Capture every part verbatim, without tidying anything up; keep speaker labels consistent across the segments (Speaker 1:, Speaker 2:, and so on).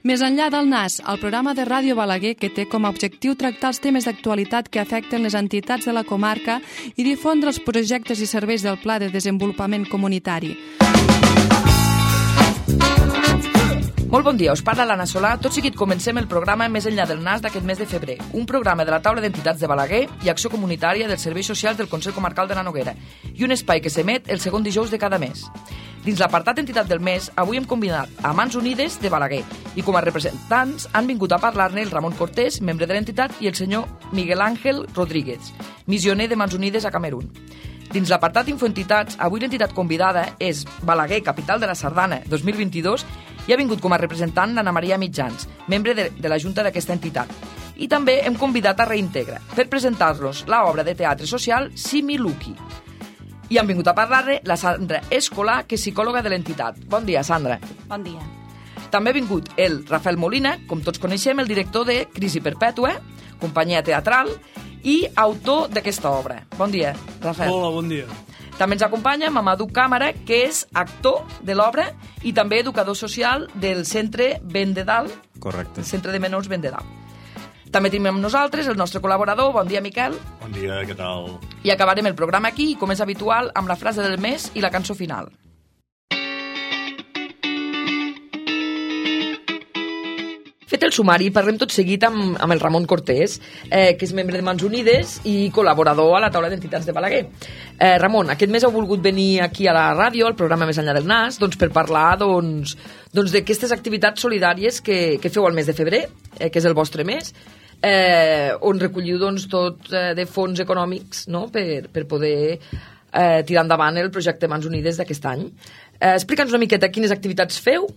Speaker 1: Més enllà del Nas, el programa de Ràdio Balaguer que té com a objectiu tractar els temes d'actualitat que afecten les entitats de la comarca i difondre els projectes i serveis del Pla de Desenvolupament Comunitari.
Speaker 2: Molt bon dia, us parla l'Anna Solà. Tot seguit comencem el programa Més enllà del Nas d'aquest mes de febrer, un programa de la taula d'entitats de Balaguer i acció comunitària dels serveis socials del Consell Comarcal de la Noguera i un espai que s'emet el segon dijous de cada mes. Dins l'apartat entitat del mes, avui hem convidat a Mans Unides de Balaguer i com a representants han vingut a parlar-ne el Ramon Cortés, membre de l'entitat, i el senyor Miguel Ángel Rodríguez, missioner de Mans Unides a Camerún. Dins l'apartat Infoentitats, avui l'entitat convidada és Balaguer, capital de la Sardana dos mil vint-i-dos, i ha vingut com a representant l'Anna Maria Mitjans, membre de, de la Junta d'aquesta entitat. I també hem convidat a Reintegra per presentar-los l'obra de teatre social Similuki. I han vingut a parlar-ne la Sandra Escolà, que és psicòloga de l'entitat. Bon dia, Sandra.
Speaker 3: Bon dia.
Speaker 2: També ha vingut el Rafael Molina, com tots coneixem, el director de Crisi Perpètua, companyia teatral, i autor d'aquesta obra. Bon dia, Rafael.
Speaker 4: Hola, bon dia.
Speaker 2: També ens acompanya Mamadou Càmara, que és actor de l'obra i també educador social del Centre Ben de Dalt.
Speaker 5: Correcte.
Speaker 2: El Centre de Menors Ben de Dalt. També tenim amb nosaltres el nostre col·laborador. Bon dia, Miquel.
Speaker 5: Bon dia, què tal?
Speaker 2: I acabarem el programa aquí, com és habitual, amb la frase del mes i la cançó final. Fet el sumari, parlem tot seguit amb, amb el Ramon Cortés, eh, que és membre de Mans Unides i col·laborador a la taula d'entitats de Balaguer. Eh, Ramon, aquest mes heu volgut venir aquí a la ràdio, al programa Més enllà del Nas, doncs, per parlar doncs, doncs, d'aquestes activitats solidàries que, que feu al mes de febrer, eh, que és el vostre mes, eh, on recolliu doncs, tot eh, de fons econòmics, no?, per, per poder eh, tirar endavant el projecte Mans Unides d'aquest any. Eh, Explica'ns una miqueta quines activitats feu.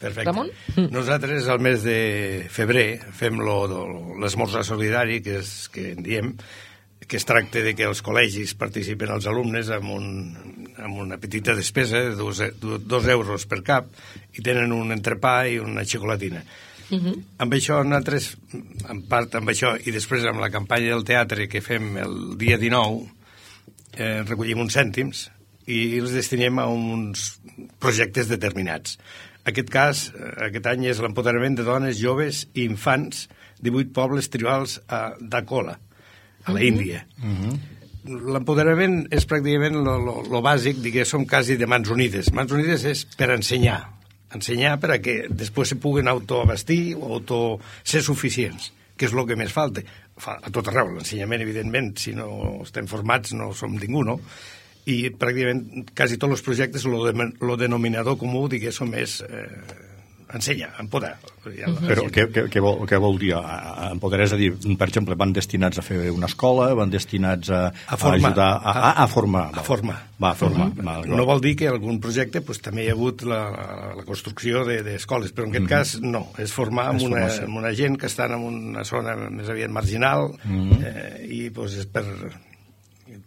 Speaker 6: Perfecte.
Speaker 2: Ramon?
Speaker 6: Nosaltres al mes de febrer fem l'esmorzar solidari, que és que en diem, que es tracta de que els col·legis participen els alumnes amb, un, amb una petita despesa de dos, dos euros per cap i tenen un entrepà i una xocolatina. Uh-huh. Amb això nosaltres, en part amb això, i després amb la campanya del teatre que fem el dia dinou, eh, recollim uns cèntims i els destinem a uns projectes determinats. Aquest cas, aquest any, és l'empoderament de dones, joves i infants de vuit pobles tribals a Dakola, a la Índia. Uh-huh. L'empoderament és pràcticament lo bàsic, diguéssim, quasi de Mans Unides. Mans Unides és per ensenyar, ensenyar per a que després se puguen autoabastir o auto ser suficients, que és el que més falta. A tot arreu, l'ensenyament, evidentment, si no estem formats no som ningú, no? I pràcticament quasi tots els projectes el de, denominador comú, diguéssim, és eh, ensenyar, empoderar.
Speaker 5: Però què, què, què, vol, què vol dir empoderar? És a dir, per exemple, van destinats a fer una escola, van destinats a,
Speaker 6: a, formar,
Speaker 5: a ajudar a, a, a formar.
Speaker 6: A formar.
Speaker 5: Va, a formar.
Speaker 6: Uh-huh. Va, no vol dir que algun projecte pues, també hi ha hagut la, la construcció d'escoles, de, però en aquest uh-huh. cas no, és formar amb una, amb una gent que estan en una zona més aviat marginal uh-huh. eh, i pues, és per...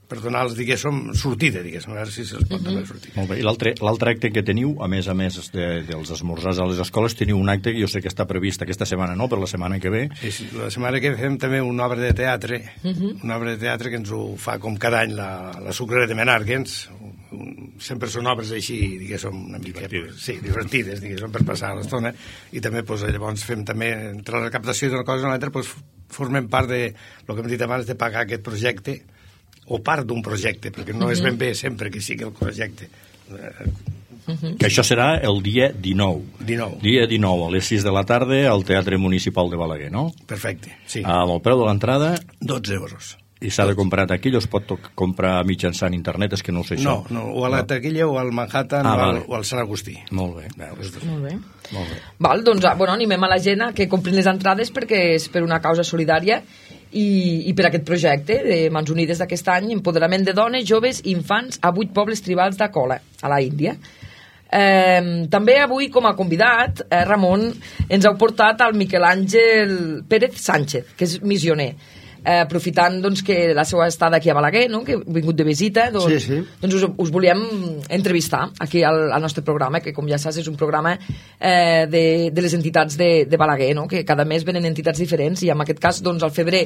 Speaker 6: per donar-los, diguéssim, sortida, diguéssim, a veure si se'ls pot donar sortida.
Speaker 5: Molt bé, i l'altre acte que teniu, a més a més de, dels esmorzars a les escoles, teniu un acte que jo sé que està previst aquesta setmana, no?, per la setmana que ve.
Speaker 6: Sí, sí, la setmana que ve fem també una obra de teatre, uh-huh. una obra de teatre que ens ho fa com cada any la, la Sucrera de Menàrguens. Sempre són obres així, diguéssim, una mica divertides, sí, divertides, diguéssim, per passar l'estona, i també, doncs, llavors fem també, entre la recaptació d'una cosa i l'altra, doncs, formem part de, el que hem dit abans, de pagar aquest projecte, o part d'un projecte, perquè no és ben bé sempre que sigui el projecte.
Speaker 5: Uh-huh. Que això serà el dia dinou.
Speaker 6: dinou.
Speaker 5: Dia dinou, a les sis de la tarda, al Teatre Municipal de Balaguer, no?
Speaker 6: Perfecte, sí.
Speaker 5: Amb el preu de l'entrada...
Speaker 6: dotze euros.
Speaker 5: I s'ha de comprar a taquilla o es pot comprar mitjançant internet? És que no ho sé això.
Speaker 6: No, no, o a la taquilla o al Manhattan ah, o, al, o al Sant Agustí.
Speaker 5: Molt bé.
Speaker 2: Molt bé. Molt bé. Val, doncs, bueno, animem a la gent a que comprin les entrades perquè és per una causa solidària i, i per aquest projecte de Mans Unides d'aquest any, empoderament de dones, joves i infants a vuit pobles tribals d'Akola, a la Índia. Eh, també avui, com a convidat, eh, Ramon, ens heu portat al Miquel Àngel Pérez Sánchez, que és missioner. Eh, aprofitant doncs, que la seva estada aquí a Balaguer, no?, que ha vingut de visita, doncs,
Speaker 4: sí, sí.
Speaker 2: doncs us, us volíem entrevistar aquí al, al nostre programa, que com ja saps és un programa eh, de, de les entitats de, de Balaguer, no?, que cada mes venen entitats diferents i en aquest cas, doncs, al febrer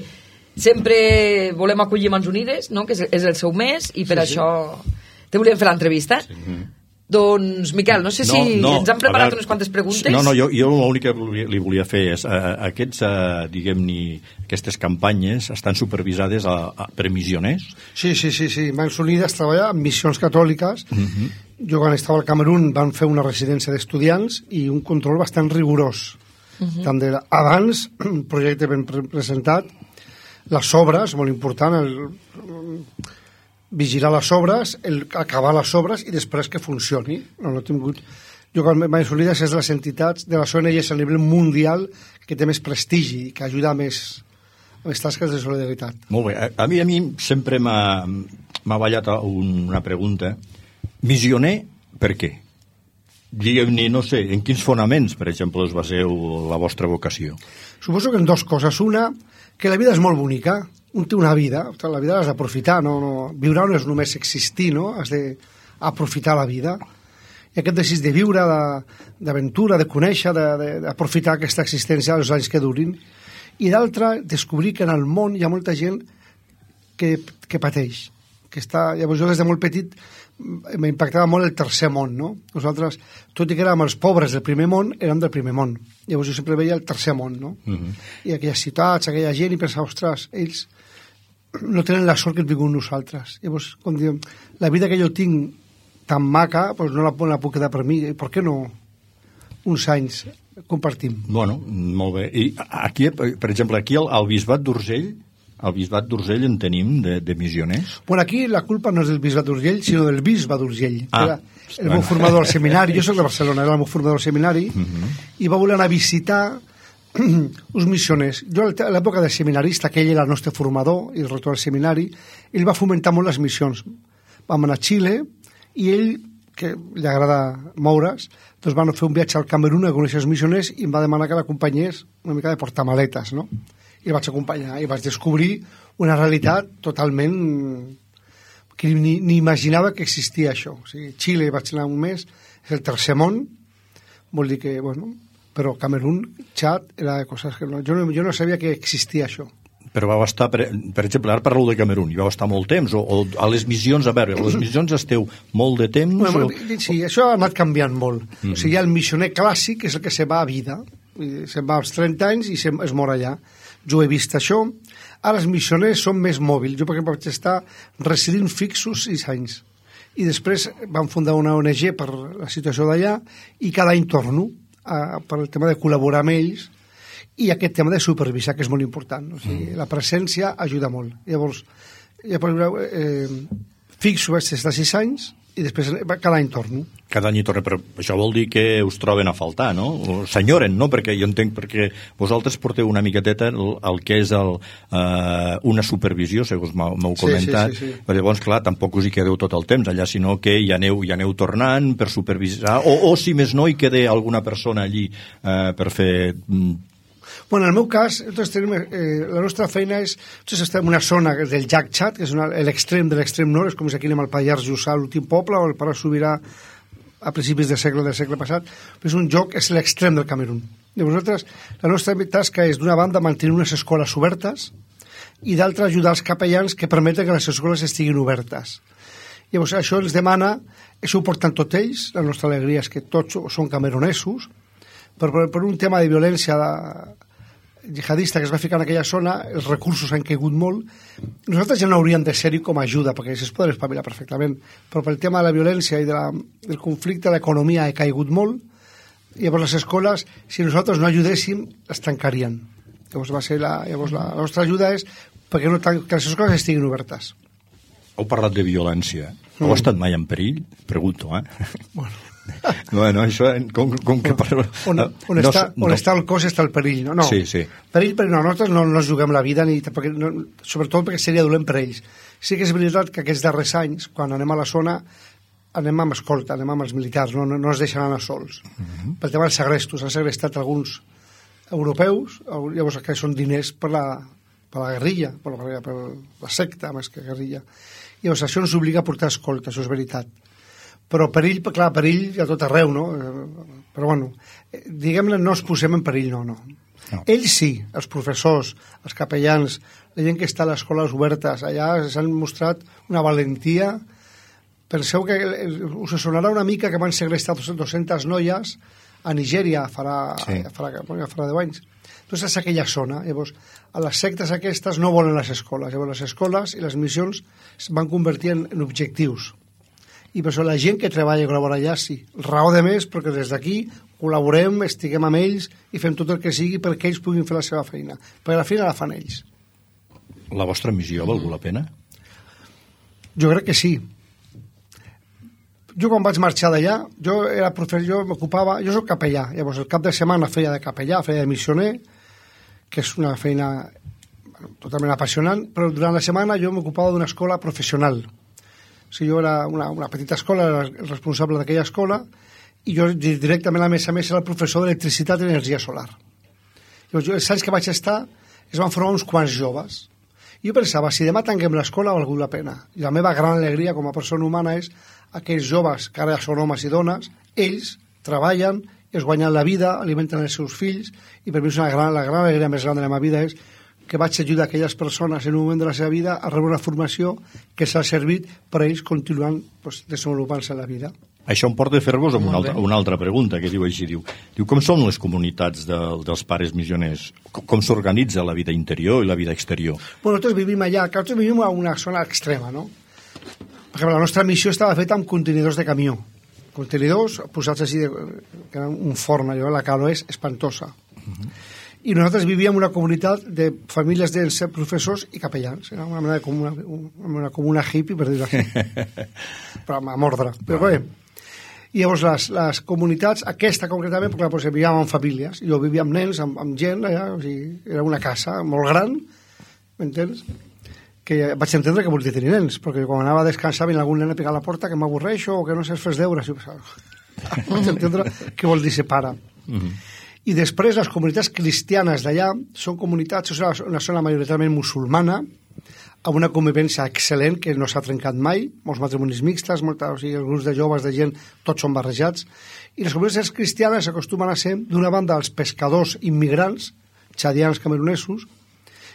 Speaker 2: sempre volem acollir Mans Unides, no?, que és, és el seu mes i per sí, això sí. te volíem fer l'entrevista. Sí. Doncs, Miquel, no sé si
Speaker 5: no, no,
Speaker 2: ens han preparat
Speaker 5: veure,
Speaker 2: unes quantes preguntes.
Speaker 5: No, no, jo, jo l'únic que li volia fer és uh, aquests, uh, diguem-ne, aquestes campanyes estan supervisades a, a, per missioners?
Speaker 3: Sí, sí, sí, sí. Mans Unides treballa amb missions catòliques. Uh -huh. Jo quan estava al Camerún van fer una residència d'estudiants i un control bastant rigorós. Uh -huh. Tant de abans, un projecte ben pre presentat, les obres, molt important, el, vigilar les obres, el, acabar les obres i després que funcioni. No, no he tingut... Jo, quan Mans Unides és de les entitats, de les O N Ges a nivell mundial que té més prestigi i que ajuda més a les tasques de solidaritat.
Speaker 5: Molt bé. A, a mi a mi sempre m'ha ballat un, una pregunta. Missioner, per què? Digueu-ne, no sé, en quins fonaments, per exemple, us baseu la vostra vocació?
Speaker 3: Suposo que en dues coses. Una, que la vida és molt bonica. Un té una vida, la vida l'has d'aprofitar, no, no, viure no és només existir, no? Has d'aprofitar la vida. I aquest desig de viure, d'aventura, de, de conèixer, d'aprofitar aquesta existència els anys que durin. I l'altra, descobrir que en el món hi ha molta gent que, que pateix. Que està, llavors jo des de molt petit m'impactava molt el tercer món, no? Nosaltres, tot i que érem els pobres del primer món, érem del primer món. Llavors jo sempre veia el tercer món, no? Uh -huh. I aquelles ciutats, aquella gent, i pensava, ostres, ells no tenen la sort que hem tingut nosaltres. Llavors, quan diem, la vida que jo tinc tan maca, doncs no la, no la puc quedar per mi. Per què no uns anys compartim?
Speaker 5: Bueno, molt bé. I aquí, per exemple, aquí al, al Bisbat d'Urgell, al Bisbat d'Urgell en tenim de, de missioners?
Speaker 3: Bueno, aquí la culpa no és del Bisbat d'Urgell, sinó del Bisbe d'Urgell.
Speaker 5: Ah,
Speaker 3: era el bueno. meu formador al seminari. Jo soc de Barcelona, era el meu formador al seminari, uh -huh. i va voler anar a visitar uns missioners. Jo, a l'època del seminarista, que ell era el nostre formador i el rector del seminari, ell va fomentar molt les missions. Vam anar a Xile, i ell, que li agrada moure's, doncs van fer un viatge al Camerún a conèixer els missioners i em va demanar que l'acompanyés una mica de portamaletes, no? I el vaig acompanyar i vaig descobrir una realitat totalment que ni, ni imaginava que existia això. O sigui, Xile vaig anar un mes, és el tercer món, vol dir que, bueno, però Camerún, Txad, era coses que no... Jo no, jo no sabia que existia això.
Speaker 5: Però vau estar, per, per exemple, ara parlo de Camerún, i vau estar molt temps, o, o a les missions, a veure, a les missions esteu molt de temps?
Speaker 3: Bueno,
Speaker 5: o...
Speaker 3: Sí, això ha anat canviant molt. Mm. O sigui, hi ha el missioner clàssic, que és el que se va a vida, se'n va als trenta anys i se, es mor allà. Jo he vist això. Ara els missioners són més mòbils. Jo, per exemple, vaig estar residint fixos sis anys. I després vam fundar una O N G per la situació d'allà i cada any torno a, per el tema de col·laborar amb ells i aquest tema de supervisar, que és molt important. O sigui, la presència ajuda molt. Llavors, ja per veure, eh, fixo vaig estar sis anys i després cada any torno.
Speaker 5: Cada any torna, però això vol dir que us troben a faltar, no? O s'enyoren, no? Perquè jo entenc perquè vosaltres porteu una miqueteta el, el que és el, uh, una supervisió, segons m'heu comentat, sí, sí, sí, sí. Però llavors, clar, tampoc us hi quedeu tot el temps allà, sinó que hi aneu, hi aneu tornant per supervisar, o, o si més no hi quede alguna persona allí uh, per fer...
Speaker 3: Bueno, en el meu cas, tenim, eh, la nostra feina és... Nosaltres estem en una zona del llac Txad, que és l'extrem de l'extrem nord, és com si aquí anem al Pallars Jussà, l'últim poble, o el Pare Sobirà a principis del segle del segle passat. És un lloc, és l'extrem del Camerún. Llavors, nosaltres, la nostra tasca és, d'una banda, mantenir unes escoles obertes i d'altra, ajudar els capellans que permeten que les escoles estiguin obertes. Llavors, això ens demana, això ho porten tots ells, la nostra alegria és que tots són camerunesos, però per un tema de violència de, jihadista que es va ficar en aquella zona, els recursos han caigut molt. Nosaltres ja no hauríem de ser-hi com a ajuda, perquè es poden espavilar perfectament, però pel tema de la violència i de la, del conflicte, l'economia ha caigut molt, i llavors les escoles, si nosaltres no ajudéssim, es tancarien. Llavors, va ser la, llavors la, la nostra ajuda és perquè no tan, que les escoles estiguin obertes.
Speaker 5: Heu parlat de violència. Mm. Heu estat mai en perill? Pregunto, eh?
Speaker 3: Bueno...
Speaker 5: Bueno, això, com, com que...
Speaker 3: On, on, on, no, està, on no. està el cos està el perill, no? no.
Speaker 5: Sí, sí.
Speaker 3: Perill, perquè no, nosaltres no, no juguem la vida, ni, perquè, no, sobretot perquè seria dolent per ells. Sí que és veritat que aquests darrers anys, quan anem a la zona, anem amb escolta, anem amb els militars, no, no, no es deixen anar sols. Uh -huh. Pel tema dels segrestos, han segrestat alguns europeus, llavors que són diners per la, per la guerrilla, per la, per la secta, més que guerrilla. Llavors això ens obliga a portar escolta, això és veritat. Però perill, clar, perill a tot arreu, no? Però bueno, diguem-ne, no es posem en perill, no, no. no. Ells sí, els professors, els capellans, la gent que està a les escoles obertes, allà s'han mostrat una valentia Penseu que us sonarà una mica que van segrestar dues-centes noies a Nigèria farà, sí. farà, farà deu anys. Doncs és aquella zona. Llavors, a les sectes aquestes no volen les escoles. Llavors, les escoles i les missions es van convertir en, en objectius. I per això la gent que treballa i col·labora allà, sí. Raó de més, perquè des d'aquí col·laborem, estiguem amb ells i fem tot el que sigui perquè ells puguin fer la seva feina. Perquè la feina la fan ells.
Speaker 5: La vostra missió ha valgut la pena?
Speaker 3: Jo crec que sí. Jo quan vaig marxar d'allà, jo era professor, jo m'ocupava, jo soc capellà, llavors el cap de setmana feia de capellà, feia de missioner, que és una feina bueno, totalment apassionant, però durant la setmana jo m'ocupava d'una escola professional. O sigui, jo era una, una petita escola, era el responsable d'aquella escola, i jo directament, a més a més, era el professor d'electricitat i energia solar. Llavors, jo, els anys que vaig estar, es van formar uns quants joves. I jo pensava, si demà tanquem l'escola, ha valgut la pena. I la meva gran alegria com a persona humana és aquells joves que ara són homes i dones, ells treballen, es guanyen la vida, alimenten els seus fills, i per mi és una gran, la gran alegria més gran de la meva vida és que vaig ajudar aquelles persones en un moment de la seva vida a rebre una formació que s'ha servit per a ells continuant pues, desenvolupant-se en la vida.
Speaker 5: Això em porta a fer-vos una, altra, una altra pregunta, que diu així, diu, diu com són les comunitats de, dels pares missioners? Com, com s'organitza la vida interior i la vida exterior?
Speaker 3: Bueno, nosaltres vivim allà, que nosaltres vivim a una zona extrema, no? Per exemple, la nostra missió estava feta amb contenidors de camió. Contenidors posats així, de, que era un forn, allò, la calor és espantosa. Uh-huh. I nosaltres vivíem en una comunitat de famílies de professors i capellans. Era una mena de comuna, una comuna hippie, per dir-ho així. Però a mordre. Però bé, i llavors les, les comunitats, aquesta concretament, perquè doncs, vivíem amb famílies, jo vivia amb nens, amb, amb gent, allà, o sigui, era una casa molt gran, m'entens? Que vaig entendre que volia tenir nens, perquè quan anava a descansar venia algun nen a picar a la porta que m'avorreixo o que no sé fes deures. Vaig entendre què vol dir ser pare. Mm-hmm. I després les comunitats cristianes d'allà són comunitats, és una zona majoritàriament musulmana, amb una convivència excel·lent que no s'ha trencat mai, molts matrimonis mixtes, molta, o sigui, els grups de joves, de gent, tots són barrejats, i les comunitats cristianes acostumen a ser, d'una banda, els pescadors immigrants, txadians, camerunesos,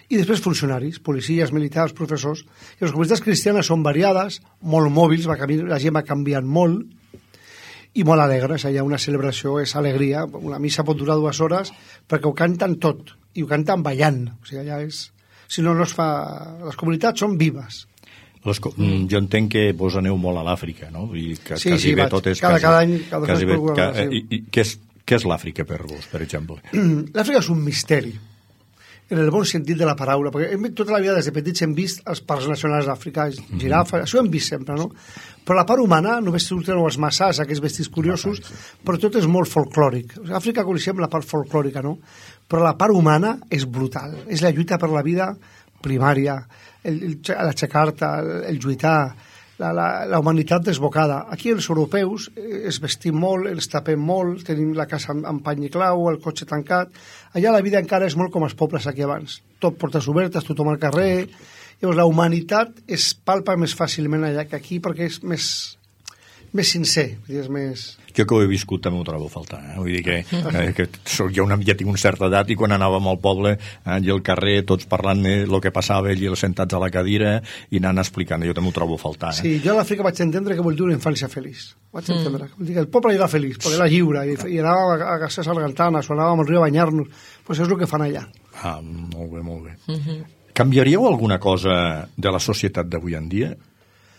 Speaker 3: i després funcionaris, policies, militars, professors. I les comunitats cristianes són variades, molt mòbils, va canvi... la gent va canviant molt, i molt alegres. Hi ha una celebració, és alegria, una missa pot durar dues hores, perquè ho canten tot, i ho canten ballant, o sigui, allà és... Si no, no es fa... Les comunitats són vives.
Speaker 5: Les co... mm. Jo entenc que vos aneu molt a l'Àfrica, no? I que,
Speaker 3: sí,
Speaker 5: quasi
Speaker 3: sí,
Speaker 5: bé
Speaker 3: vaig.
Speaker 5: tot és...
Speaker 3: Cada,
Speaker 5: quasi,
Speaker 3: cada any... Cada
Speaker 5: quasi bé,
Speaker 3: programa,
Speaker 5: ca...
Speaker 3: sí.
Speaker 5: I, i, què és, què és l'Àfrica per vos, per exemple?
Speaker 3: L'Àfrica és un misteri, en el bon sentit de la paraula, perquè hem, tota la vida des de petits hem vist els parcs nacionals d'Àfrica, girafes, mm-hmm. això ho hem vist sempre, no? Però la part humana, només surten els massars, aquests vestits curiosos, però tot és molt folclòric. A Àfrica coneixem la part folclòrica, no? Però la part humana és brutal, és la lluita per la vida primària, el, el, l'aixecar-te, el, el lluitar, la, la, la humanitat desbocada. Aquí els europeus es vestim molt, ens tapem molt, tenim la casa amb, amb pany i clau, el cotxe tancat. Allà la vida encara és molt com els pobles aquí abans. Tot portes obertes, tothom al carrer. Llavors, la humanitat es palpa més fàcilment allà que aquí perquè és més, més sincer, és més...
Speaker 5: Jo que ho he viscut també ho trobo a faltar, eh? Vull dir que, eh, que soc ja, una, ja tinc una certa edat i quan anàvem al poble eh, i al carrer tots parlant el que passava i els sentats a la cadira i anant explicant, jo també ho trobo a faltar. Eh?
Speaker 3: Sí, jo a l'Àfrica vaig entendre que vol dir una infància feliç. Vaig entendre. Mm. Vol dir que el poble era feliç, perquè era lliure i, i anàvem a, a gastar sargantanes o anàvem al riu a banyar-nos. Pues és el que fan allà.
Speaker 5: Ah, molt bé, molt bé. Mm-hmm. Canviaríeu alguna cosa de la societat d'avui en dia?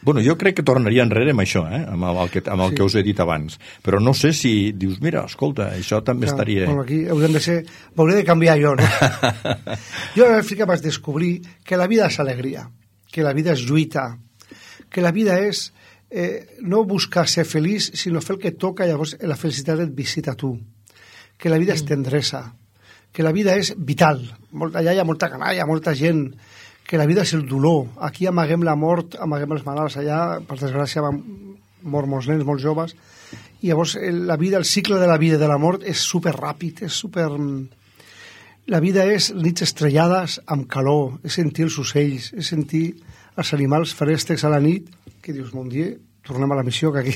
Speaker 5: Bueno, jo crec que tornaria enrere amb això, eh? amb el, que, amb el sí. que us he dit abans. Però no sé si dius, mira, escolta, això també Clar, estaria...
Speaker 3: Bueno, aquí haurem de ser... M'hauré de canviar jo, no? Jo a l'Àfrica vaig descobrir que la vida és alegria, que la vida és lluita, que la vida és eh, no buscar ser feliç, sinó fer el que toca, llavors la felicitat et visita a tu. Que la vida mm. és tendresa, que la vida és vital. Molt, allà hi ha molta canalla, molta gent... que la vida és el dolor. Aquí amaguem la mort, amaguem els malalts. Allà, per desgràcia, van mort molts nens, molts joves. I llavors la vida, el cicle de la vida i de la mort és super ràpid, és super... La vida és nits estrellades amb calor, és sentir els ocells, és sentir els animals feréstecs a la nit, que dius, mon dia, tornem a la missió, que aquí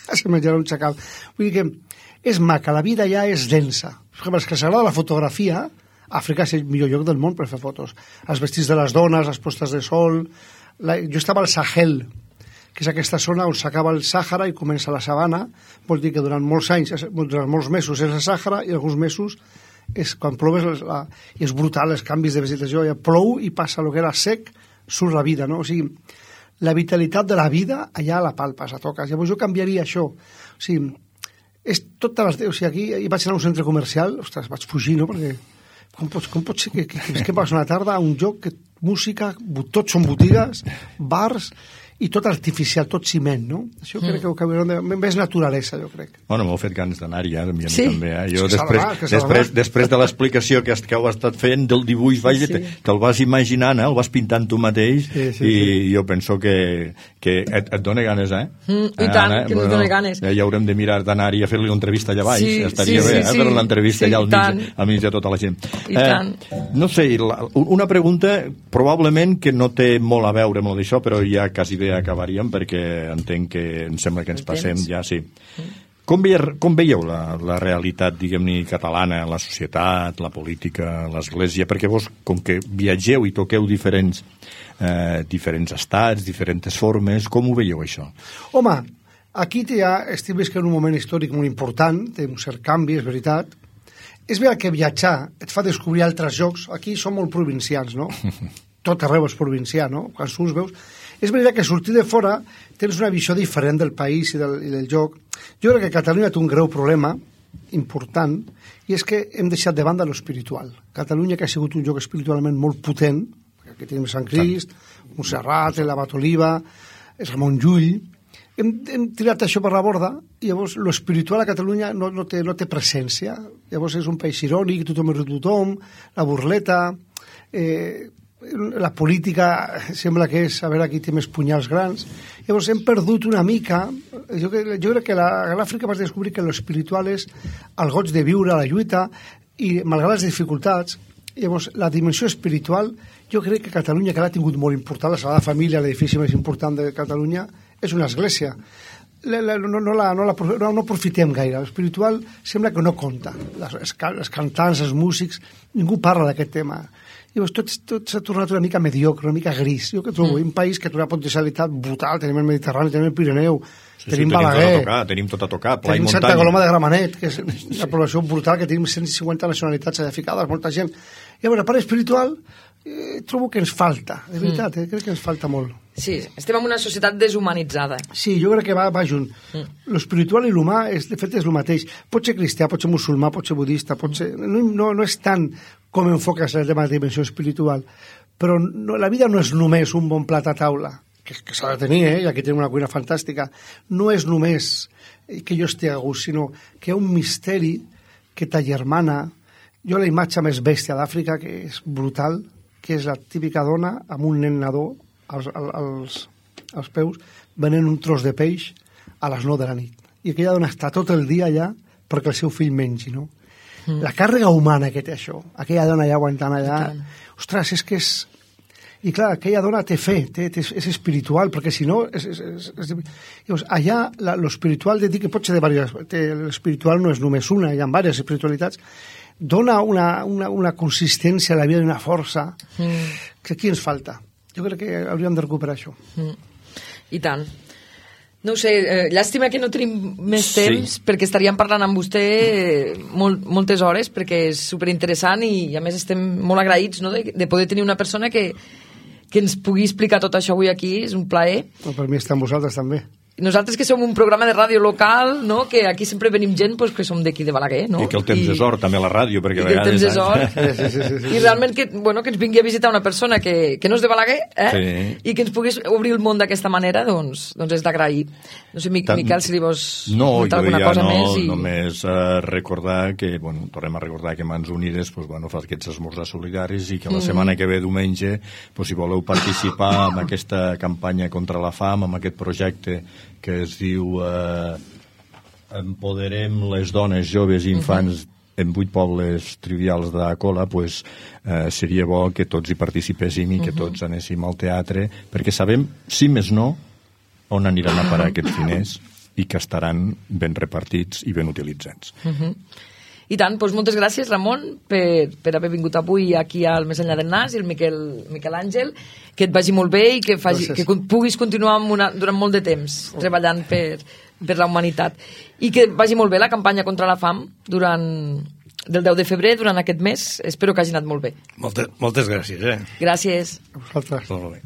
Speaker 3: se menjarà un xacal. Vull dir que és maca, la vida ja és densa. Per exemple, els que s'agrada la fotografia... Àfrica és el millor lloc del món per fer fotos. Els vestits de les dones, les postes de sol... La... Jo estava al Sahel, que és aquesta zona on s'acaba el Sàhara i comença la sabana. Vol dir que durant molts anys, durant molts mesos és el Sàhara i alguns mesos és quan plou, la, i és brutal els canvis de vegetació, ja plou i passa el que era sec, surt la vida, no? O sigui, la vitalitat de la vida allà la palpes, la toques. Llavors jo canviaria això. O sigui, és totes les... O sigui, aquí hi vaig anar a un centre comercial, ostres, vaig fugir, no? Perquè com pot, com pot ser que, que, que, que vas una tarda a un lloc que música, tots són botigues, bars, i tot artificial, tot ciment, no? Això mm. crec que ho canviaran de... Més naturalesa, jo crec.
Speaker 5: Bueno, m'heu fet ganes d'anar-hi, eh? A mi
Speaker 2: sí?
Speaker 5: també, eh? Jo
Speaker 3: és
Speaker 5: després,
Speaker 3: que
Speaker 5: després, després de l'explicació que, que heu estat fent del dibuix, vaja, sí. te'l vas imaginant, eh? El vas pintant tu mateix, sí, sí, i sí. jo penso que, que et, et dona ganes, eh?
Speaker 2: Mm, I tant, eh? que ens bueno, dona ganes.
Speaker 5: Ja haurem de mirar d'anar-hi a fer-li una entrevista allà baix,
Speaker 2: sí,
Speaker 5: estaria
Speaker 2: sí,
Speaker 5: bé,
Speaker 2: sí,
Speaker 5: eh?
Speaker 2: Sí,
Speaker 5: fer l'entrevista
Speaker 2: sí,
Speaker 5: allà al mig, al mig de tota la gent.
Speaker 2: I eh, tant.
Speaker 5: No sé, la, una pregunta probablement que no té molt a veure amb això, però ja quasi bé acabaríem, perquè que entenc que em sembla que ens passem ja, sí. Com, veieu, com veieu la, la realitat, diguem-ne, catalana, la societat, la política, l'església? Perquè vos, com que viatgeu i toqueu diferents, eh, diferents estats, diferents formes, com ho veieu, això?
Speaker 3: Home, aquí ja estic visquent un moment històric molt important, té un cert canvi, és veritat. És veritat que viatjar et fa descobrir altres llocs. Aquí som molt provincians, no? Tot arreu és provincià, no? Quan surts veus... És veritat que sortir de fora tens una visió diferent del país i del, i del lloc. Jo crec que Catalunya té un greu problema important, i és que hem deixat de banda l'espiritual. Catalunya, que ha sigut un lloc espiritualment molt potent, aquí tenim Sant Crist, Montserrat, l'Abat Oliva, Ramon Llull, hem, hem tirat això per la borda, i llavors l'espiritual a Catalunya no, no, té, no té presència. Llavors és un país irònic, tothom és tothom, la burleta... Eh, la política sembla que és a veure qui té més punyals grans. Llavors hem perdut una mica. Jo, jo crec que la, a l'Àfrica vas descobrir que l'espiritual és el goig de viure, la lluita, i malgrat les dificultats, llavors la dimensió espiritual, jo crec que Catalunya, que l'ha tingut molt important, la Sagrada Família, l'edifici més important de Catalunya, és una església. La, la, no, no, la, no, la, no, no profitem gaire. L'espiritual sembla que no compta. Les, els cantants, els músics, ningú parla d'aquest tema. Llavors tot, tot s'ha tornat una mica mediocre, una mica gris. Jo que trobo mm. un país que té una potencialitat brutal, tenim el Mediterrani, tenim el Pirineu,
Speaker 5: sí,
Speaker 3: tenim
Speaker 5: sí,
Speaker 3: Balaguer,
Speaker 5: tenim tot a tocar, tenim tot a tocar, pla i
Speaker 3: tenim
Speaker 5: muntanya.
Speaker 3: Santa Coloma de Gramenet, que és una població brutal, que tenim cent cinquanta nacionalitats allà ficades, molta gent. Llavors, la part espiritual, eh, trobo que ens falta, de veritat, mm. eh, crec que ens falta molt.
Speaker 2: Sí, estem en una societat deshumanitzada.
Speaker 3: Sí, jo crec que va, va junt. Mm. L'espiritual i l'humà, és, de fet, és el mateix. Pot ser cristià, pot ser musulmà, pot ser budista, pot ser... No, no, no és tant com enfoques el tema de dimensió espiritual, però no, la vida no és només un bon plat a taula, que, que s'ha de tenir, eh? I aquí tenim una cuina fantàstica. No és només que jo estigui a gust, sinó que hi ha un misteri que t'agermana. Jo la imatge més bèstia d'Àfrica, que és brutal, que és la típica dona amb un nen nadó als, als, als peus, venent un tros de peix a les nou de la nit. I aquella dona està tot el dia allà perquè el seu fill mengi, no? Mm. La càrrega humana que té això, aquella dona allà aguantant allà, ostres, és que és... I clar, aquella dona té fe, té, té, és espiritual, perquè si no... És, és, és, és... Llavors, allà l'espiritual, de dir que pot ser de diverses... L'espiritual no és només una, hi ha diverses espiritualitats, dona una, una, una consistència a la vida, una força, mm. que aquí ens falta. Jo crec que hauríem de recuperar això.
Speaker 2: Mm. I tant. No ho sé, eh, llàstima que no tenim més temps, sí. perquè estaríem parlant amb vostè molt, moltes hores, perquè és superinteressant i a més estem molt agraïts, no?, de, de poder tenir una persona que, que ens pugui explicar tot això avui aquí, és un plaer.
Speaker 3: No, per mi està amb vosaltres també.
Speaker 2: Nosaltres que som un programa de ràdio local, no?, que aquí sempre venim gent pues, que som d'aquí de Balaguer, no?
Speaker 5: I que el temps I, és or, també, a la ràdio, perquè a vegades...
Speaker 2: I que el temps és or.
Speaker 3: Sí, sí, sí, sí, sí.
Speaker 2: I realment que, bueno, que ens vingui a visitar una persona que, que no és de Balaguer, eh? Sí. I que ens puguis obrir el món d'aquesta manera, doncs, doncs és d'agrair. No sé, Tant... Miquel, si li vols
Speaker 5: no,
Speaker 2: comentar alguna
Speaker 5: ja
Speaker 2: cosa
Speaker 5: no,
Speaker 2: més. I...
Speaker 5: només uh, recordar que, bueno, tornem a recordar que Mans Unides pues, bueno, fa aquests esmorzars solidaris i que la mm. setmana que ve, diumenge, pues, si voleu participar en aquesta campanya contra la fam, amb aquest projecte que es diu eh, Empoderem les dones, joves i infants uh-huh. en vuit pobles trivials de Cola, pues, eh, seria bo que tots hi participéssim i que uh-huh. tots anéssim al teatre, perquè sabem, si més no, on aniran a parar aquests diners i que estaran ben repartits i ben utilitzats.
Speaker 2: Uh-huh. I tant, doncs moltes gràcies, Ramon, per, per haver vingut avui aquí al Més enllà del Nas, i el Miquel, Miquel Àngel, que et vagi molt bé i que, faci, que puguis continuar una, durant molt de temps treballant per, per la humanitat. I que vagi molt bé la campanya contra la fam durant, del deu de febrer, durant aquest mes. Espero que hagi anat molt bé.
Speaker 6: Moltes, moltes gràcies. Eh?
Speaker 2: Gràcies.
Speaker 3: A vosaltres.
Speaker 6: Molt bé.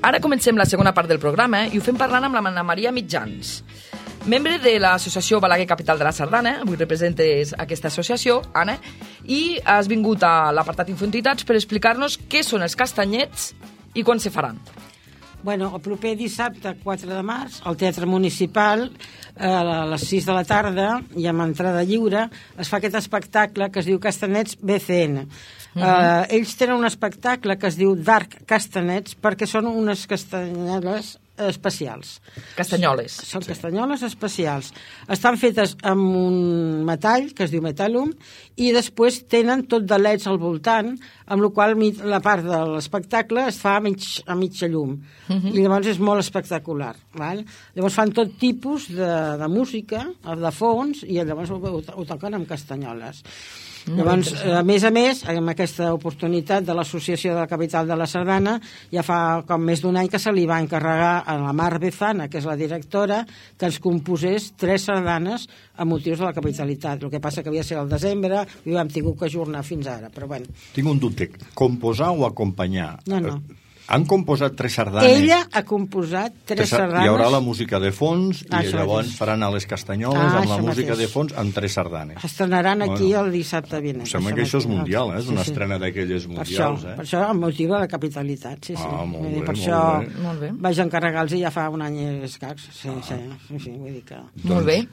Speaker 2: Ara comencem la segona part del programa i ho fem parlant amb la Anna Maria Mitjans, membre de l'associació Balaguer Capital de la Sardana. Avui representes aquesta associació, Anna, i has vingut a l'apartat Infoentitats per explicar-nos què són els castanyets i quan se faran.
Speaker 4: Bueno, el proper dissabte, quatre de març, al Teatre Municipal, a les sis de la tarda, i amb entrada lliure, es fa aquest espectacle que es diu Castanyets B C N. Uh -huh. uh, ells tenen un espectacle que es diu Dark Castanets perquè són unes castanyoles especials.
Speaker 2: Castanyoles.
Speaker 4: Són sí. Castanyoles especials. Estan fetes amb un metall que es diu metallum i després tenen tot de leds al voltant, amb la qual la part de l'espectacle es fa a, mig, a mitja llum. Uh -huh. I llavors és molt espectacular. Val? Llavors fan tot tipus de, de música, de fons, i llavors ho, ho, ho toquen amb castanyoles. Llavors, a més a més, amb aquesta oportunitat de l'Associació de la Capital de la Sardana, ja fa com més d'un any que se li va encarregar a la Mar Bezana, que és la directora, que ens composés tres sardanes a motius de la capitalitat. El que passa que havia de ser al desembre i ho hem tingut que ajornar fins ara, però bueno.
Speaker 5: Tinc un dubte. Composar o acompanyar?
Speaker 4: No, no.
Speaker 5: Han composat tres sardanes.
Speaker 4: Ella ha composat tres sardanes.
Speaker 5: Hi haurà la música de fons
Speaker 4: ah,
Speaker 5: i llavors faran a les castanyoles
Speaker 4: ah,
Speaker 5: amb la música
Speaker 4: mateix.
Speaker 5: de fons amb tres sardanes.
Speaker 4: Estrenaran aquí bueno, el dissabte vinent.
Speaker 5: Em sembla que això és mundial, eh? És una sí, sí. estrena d'aquelles mundials.
Speaker 4: Per això,
Speaker 5: eh?
Speaker 4: per això el motiu de la capitalitat. Sí, sí.
Speaker 5: Ah, molt bé,
Speaker 4: per
Speaker 5: molt
Speaker 4: això
Speaker 5: bé.
Speaker 2: Molt bé.
Speaker 4: vaig encarregar-los ja fa un any i escacs. Sí, ah. sí, sí, sí, vull dir que...
Speaker 2: Molt bé.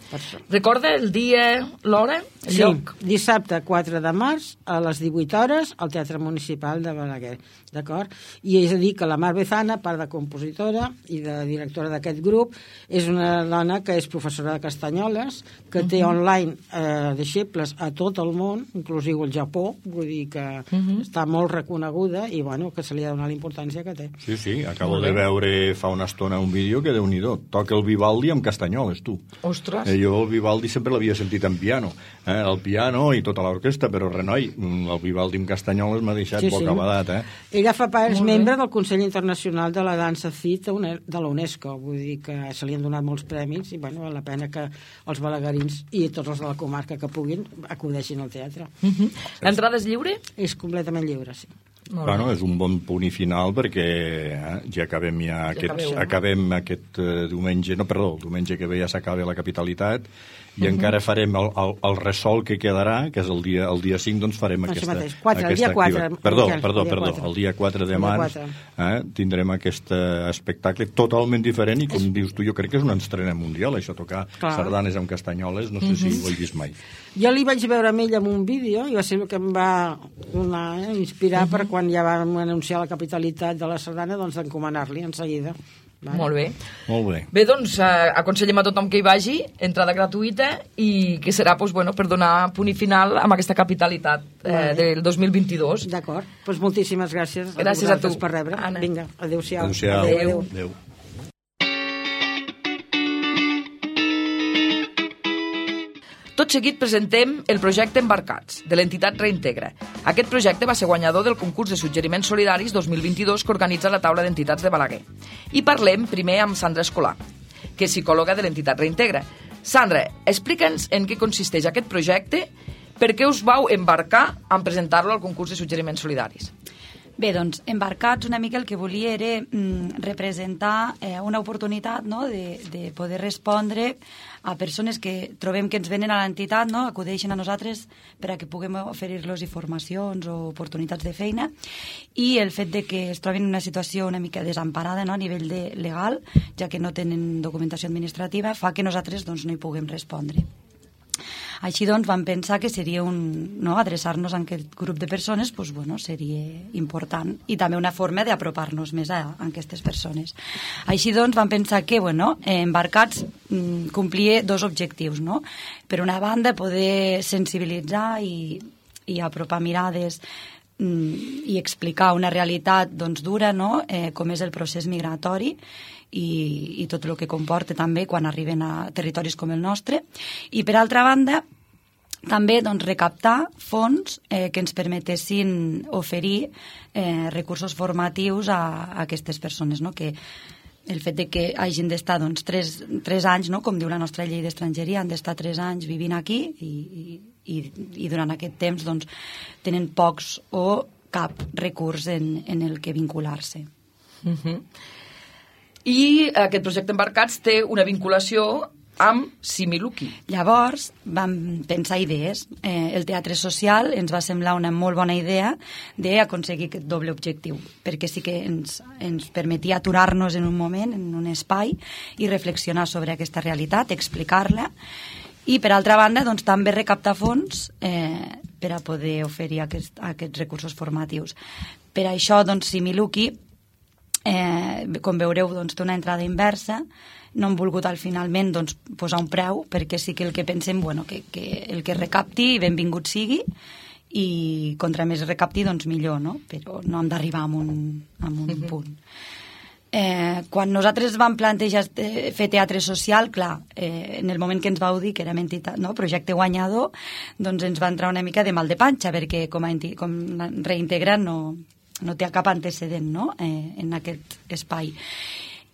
Speaker 2: Recorda el dia, l'hora, el
Speaker 4: sí,
Speaker 2: lloc?
Speaker 4: Dissabte quatre de març a les divuit hores al Teatre Municipal de Balaguer. D'acord? I és a dir que la Mar Bezana, part de compositora i de directora d'aquest grup, és una dona que és professora de castanyoles, que uh -huh. té online eh, deixebles a tot el món, inclusiu el Japó, vull dir que uh -huh. està molt reconeguda i bueno, que se li ha de donar la importància que té.
Speaker 5: Sí, sí, acabo de veure fa una estona un vídeo que déu-n'hi-do, toca el Vivaldi amb castanyoles, tu.
Speaker 2: Ostres!
Speaker 5: Eh, jo el Vivaldi sempre l'havia sentit en piano, eh? el piano i tota l'orquestra, però renoi, el Vivaldi amb castanyoles m'ha deixat
Speaker 4: sí,
Speaker 5: bocabadat, eh?
Speaker 4: Ella fa part, és membre del Consell Internacional de la Dansa C I T de la UNESCO, vull dir que se li han donat molts premis i bueno, val la pena que els balaguerins i tots els de la comarca que puguin acudeixin al teatre.
Speaker 2: Uh -huh. L'entrada és lliure?
Speaker 4: És completament lliure, sí.
Speaker 5: Bueno, és un bon punt i final perquè eh, ja acabem ja, ja aquest, acabeu, acabem no? aquest uh, diumenge, no, perdó, el diumenge que ve ja s'acaba la capitalitat i uh -huh. encara farem el, el, el resol que quedarà, que és el dia, el dia cinc, doncs farem no, aquesta,
Speaker 4: quatre, aquesta el dia quatre,
Speaker 5: perdó,
Speaker 4: Miquel,
Speaker 5: perdó,
Speaker 4: el dia
Speaker 5: perdó,
Speaker 4: quatre.
Speaker 5: el dia quatre de març eh, tindrem aquest uh, espectacle totalment diferent i com és... dius tu, jo crec que és una estrena mundial, això, tocar Clar. sardanes amb castanyoles, no sé uh -huh. si ho he vist mai.
Speaker 4: Jo li vaig veure amb ell en un vídeo i va ser el que em va donar, eh, inspirar uh -huh. per quan ja vam anunciar la capitalitat de la sardana, doncs d'encomanar-li en seguida.
Speaker 2: Vale. Molt bé.
Speaker 5: Molt bé.
Speaker 2: Bé, doncs, eh, aconsellem a tothom que hi vagi, entrada gratuïta, i que serà pues, bueno, per donar punt i final amb aquesta capitalitat eh, vale. del dos mil vint-i-dos.
Speaker 4: D'acord. Doncs moltíssimes gràcies,
Speaker 2: gràcies
Speaker 4: a,
Speaker 2: a tu
Speaker 4: per rebre.
Speaker 2: Anna.
Speaker 4: Vinga, adéu-siau.
Speaker 5: Adéu-siau.
Speaker 2: Adéu.
Speaker 5: Adéu. Adéu.
Speaker 2: Tot seguit presentem el projecte Embarcats, de l'entitat Reintegra. Aquest projecte va ser guanyador del concurs de suggeriments solidaris dos mil vint-i-dos que organitza la taula d'entitats de Balaguer. I parlem primer amb Sandra Escolà, que és psicòloga de l'entitat Reintegra. Sandra, explica'ns en què consisteix aquest projecte, per què us vau embarcar en presentar-lo al concurs de suggeriments solidaris.
Speaker 7: Bé, doncs, Embarcats una mica el que volia era mm, representar eh, una oportunitat, no?, de, de poder respondre a persones que trobem que ens venen a l'entitat, no?, acudeixen a nosaltres per a que puguem oferir-los informacions o oportunitats de feina, i el fet de que es troben en una situació una mica desemparada, no?, a nivell de legal, ja que no tenen documentació administrativa, fa que nosaltres doncs, no hi puguem respondre. Així doncs vam pensar que seria un, no, adreçar-nos a aquest grup de persones doncs, bueno, seria important i també una forma d'apropar-nos més a, a aquestes persones. Així doncs vam pensar que bueno, Embarcats mm, complia dos objectius, no? Per una banda poder sensibilitzar i, i apropar mirades i explicar una realitat doncs, dura, no? eh, com és el procés migratori i, i tot el que comporta també quan arriben a territoris com el nostre. I per altra banda, també doncs, recaptar fons eh, que ens permetessin oferir eh, recursos formatius a, a aquestes persones, no? Que el fet de que hagin d'estar doncs, tres, tres anys, no? Com diu la nostra llei d'estrangeria, han d'estar tres anys vivint aquí i, i, i durant aquest temps doncs, tenen pocs o cap recurs en, en el que vincular-se.
Speaker 2: Uh-huh. I aquest projecte Embarcats té una vinculació amb Similuki.
Speaker 7: Llavors vam pensar idees. Eh, el teatre social ens va semblar una molt bona idea d'aconseguir aquest doble objectiu, perquè sí que ens, ens permetia aturar-nos en un moment, en un espai, i reflexionar sobre aquesta realitat, explicar-la, i per altra banda doncs, també recaptar fons eh, per a poder oferir aquest, aquests recursos formatius. Per això doncs, Similuki, eh, com veureu, doncs, té una entrada inversa. No hem volgut al finalment doncs, posar un preu, perquè sí que el que pensem bueno, que, que el que recapti benvingut sigui, i contra més recapti doncs millor, no? Però no hem d'arribar a un, a un uh-huh. punt. Eh, quan nosaltres vam plantejar fer teatre social, clar, eh, en el moment que ens vau dir que érem entitat, no? Projecte guanyador, doncs ens va entrar una mica de mal de panxa, perquè com a, com a reintegrant no, no té cap antecedent, no? eh, en aquest espai.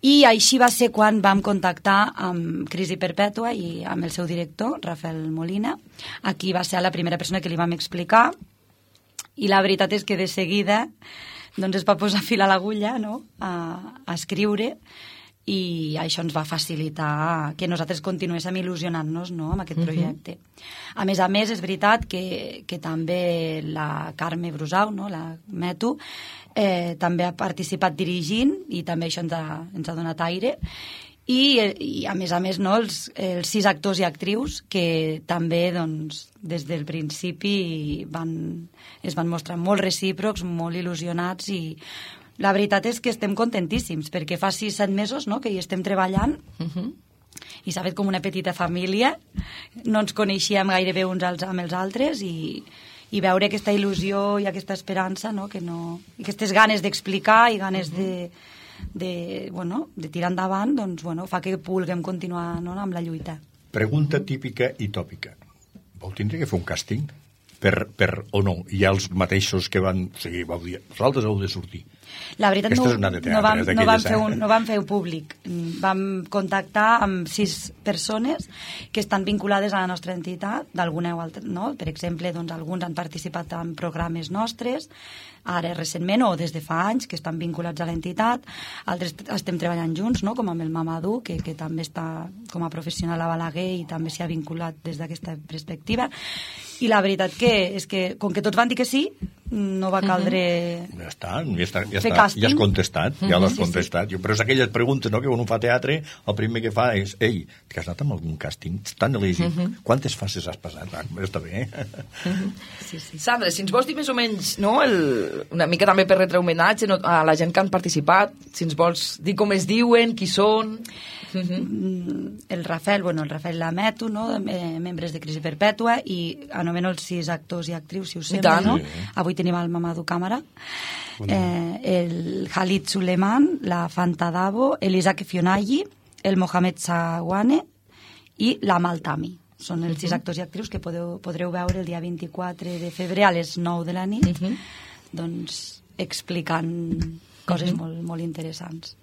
Speaker 7: I així va ser quan vam contactar amb Crisi Perpètua i amb el seu director, Rafael Molina. Aquí va ser la primera persona que li vam explicar, i la veritat és que de seguida doncs es va posar fil a l'agulla, no? a, a escriure, i això ens va facilitar que nosaltres continuéssim il·lusionant-nos, no? amb aquest projecte. Uh-huh. A més a més, és veritat que, que també la Carme Brusau, no? la Metu, eh, també ha participat dirigint, i també això ens ha, ens ha donat aire, i, i a més a més no, els, els sis actors i actrius que també doncs, des del principi van, es van mostrar molt recíprocs, molt il·lusionats, i la veritat és que estem contentíssims, perquè fa sis, set mesos no, que hi estem treballant, uh-huh. i s'ha fet com una petita família, no ens coneixíem gairebé uns als, amb els altres, i, i veure aquesta il·lusió i aquesta esperança, no, que no, aquestes ganes d'explicar i ganes uh-huh. de, de, bueno, de tirar endavant, doncs, bueno, fa que vulguem continuar no, amb la lluita.
Speaker 5: Pregunta típica i tòpica. Vau tindre que fer un càsting? Per, per o no? Hi ha els mateixos que van... O sigui, vau dir, vosaltres heu de sortir.
Speaker 7: La veritat, no,
Speaker 5: teatre,
Speaker 7: no, vam, no, vam fer un, no vam fer un públic. Vam contactar amb sis persones que estan vinculades a la nostra entitat, d'alguna o altra, no? Per exemple, doncs, alguns han participat en programes nostres, ara recentment o des de fa anys, que estan vinculats a l'entitat, altres estem treballant junts, no? Com amb el Mamadou, que, que també està com a professional a Balaguer i també s'hi ha vinculat des d'aquesta perspectiva. I la veritat que és que, com que tots van dir que sí, no va caldre...
Speaker 5: Uh-huh. Ja està, ja, està, ja, està, ja has contestat, ja uh-huh. l'has contestat. Sí, sí. Però és aquelles preguntes, no?, que quan un fa teatre, el primer que fa és, ei, que has anat amb algun càsting tan elegit? Uh-huh. Quantes fases has passat? Ah, està bé.
Speaker 2: Uh-huh. Sí, sí. Sandra, si ens vols dir més o menys, no?, el, una mica també per retre homenatge no, a la gent que han participat, si ens vols dir com es diuen, qui són... Uh-huh.
Speaker 7: El Rafael, bueno, el Rafael Lameto, no? eh, membres de Crisi Perpètua, i anomeno els sis actors i actrius, si us sembla, no? Sí. Avui tenim el Mamadou Càmera, eh, el Khalid Suleiman, la Fanta Davo, el Isaac Fionaggi, el Mohamed Sawane i la Maltami. Són els uh-huh. sis actors i actrius que podeu, podreu veure el dia vint-i-quatre de febrer a les nou de la nit, uh-huh. doncs explicant coses uh-huh. molt, molt interessants.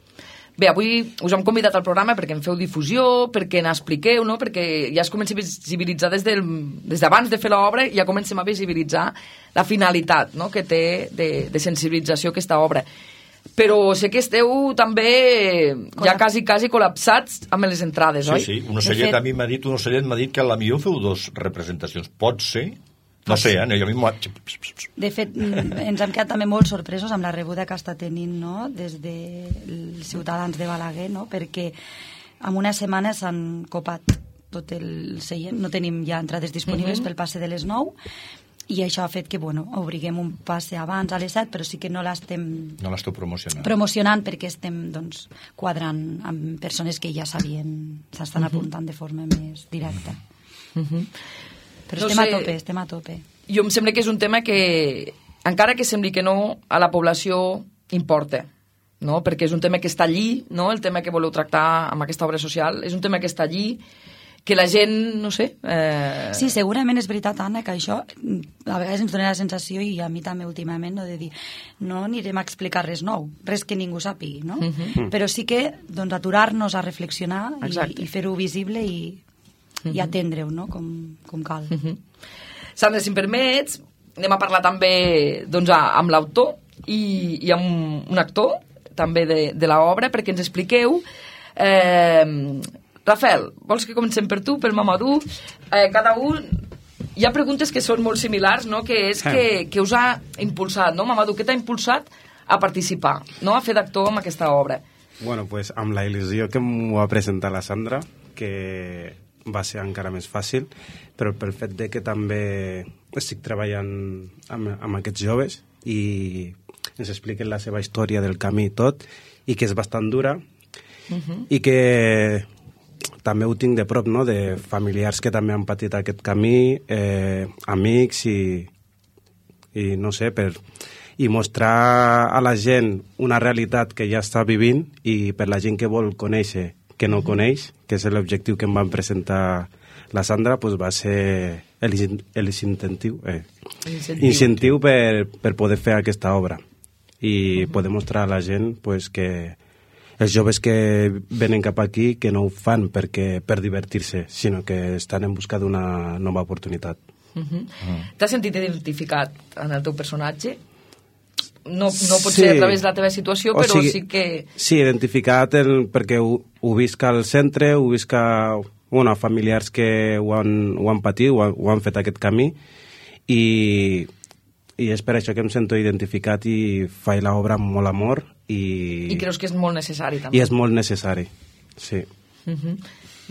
Speaker 2: Bé, avui us hem convidat al programa perquè en feu difusió, perquè n'expliqueu, no? Perquè ja es comença a visibilitzar des, del, des d'abans de fer l'obra, ja comencem a visibilitzar la finalitat, no?, que té de, de sensibilització aquesta obra. Però sé que esteu també ja quasi, quasi col·lapsats amb les entrades,
Speaker 5: sí,
Speaker 2: oi?
Speaker 5: Sí, sí. Un ocellet fet... a mi m'ha dit, un ocellet m'ha dit que a la millor feu dos representacions. Pot ser... No sé, eh? Jo m'ho...
Speaker 7: De fet, ens hem quedat també molt sorpresos amb la rebuda que està tenint, no?, des dels ciutadans de Balaguer, no?, perquè en una setmana s'han copat tot el seient, no tenim ja entrades disponibles uh-huh. pel passe de les nou, i això ha fet que, bueno, obriguem un passe abans a les set, però sí que no l'estem...
Speaker 5: No l'esteu promocionant.
Speaker 7: Promocionant perquè estem, doncs, quadrant amb persones que ja sabien, s'estan uh-huh. apuntant de forma més directa. Uh-huh. Però no estem sé, a tope, estem a tope.
Speaker 2: Jo em sembla que és un tema que encara que sembli que no, a la població importa, no? Perquè és un tema que està allí, no? El tema que voleu tractar amb aquesta obra social, és un tema que està allí, que la gent, no sé... Eh...
Speaker 7: Sí, segurament és veritat, Anna, que això a vegades ens dona la sensació, i a mi també últimament, no, de dir, no anirem a explicar res nou, res que ningú sàpigui, no? Uh -huh. Però sí que doncs, aturar-nos a reflexionar i, i fer-ho visible i, uh -huh. i atendre-ho, no? Com, com cal. Uh -huh.
Speaker 2: Sandra, si em permets, anem a parlar també doncs, amb l'autor i, i amb un actor també de, de l'obra, perquè ens expliqueu... Eh, Rafael, vols que comencem per tu, per Mamadou? Eh, cada un... Hi ha preguntes que són molt similars, no? Que és que, que us ha impulsat, no? Mamadou, què t'ha impulsat a participar, no? A fer d'actor amb aquesta obra?
Speaker 8: Bueno, pues amb la il·lusió que m'ho va presentar la Sandra, que va ser encara més fàcil, però pel fet de que també estic treballant amb, amb aquests joves i ens expliquen la seva història del camí i tot, i que és bastant dura, uh-huh. i que... també ho tinc de prop, no?, de familiars que també han patit aquest camí, eh, amics i, i no sé, per, i mostrar a la gent una realitat que ja està vivint i per la gent que vol conèixer, que no coneix, que és l'objectiu que em van presentar la Sandra, pues va ser l'incentiu eh, incentiu per, per poder fer aquesta obra i uh-huh. poder mostrar a la gent pues, que els joves que venen cap aquí que no ho fan perquè per divertir-se, sinó que estan en busca d'una nova oportunitat.
Speaker 2: Uh-huh. Uh-huh. T'has sentit identificat en el teu personatge? No, no pot sí. ser a través de la teva situació, o però sigui, sí que...
Speaker 8: Sí, identificat el, perquè ho, ho visc al centre, ho visc a bueno, familiars que ho han, ho han patit, ho han, ho han fet aquest camí, i, i és per això que em sento identificat i faig l'obra amb molt amor. I,
Speaker 2: I creus que és molt necessari també?
Speaker 8: I és molt necessari, sí.
Speaker 2: Uh-huh.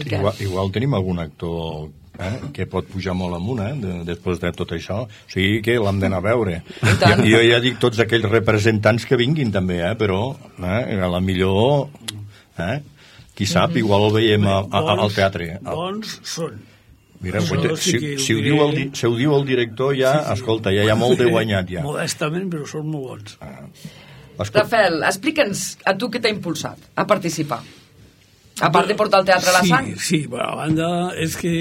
Speaker 5: Igual, igual tenim algun actor eh, que pot pujar molt amunt eh, de, després de tot això, o sigui que l'hem d'anar a veure. Jo, jo ja dic tots aquells representants que vinguin també, eh, però eh, a la millor eh, qui sap, uh-huh. igual el veiem a, a, a, al teatre.
Speaker 9: Bons són.
Speaker 5: Mira, no, si, si, si, ho diu el, si ho diu el director ja, sí, sí. escolta, ja hi ha molt de guanyat ja.
Speaker 9: Modestament, però són molt bons.
Speaker 5: Ah.
Speaker 2: Rafael, explica'ns a tu què t'ha impulsat a participar. A part de portar el teatre a la
Speaker 9: sí,
Speaker 2: sang.
Speaker 9: Sí, bueno, a banda és que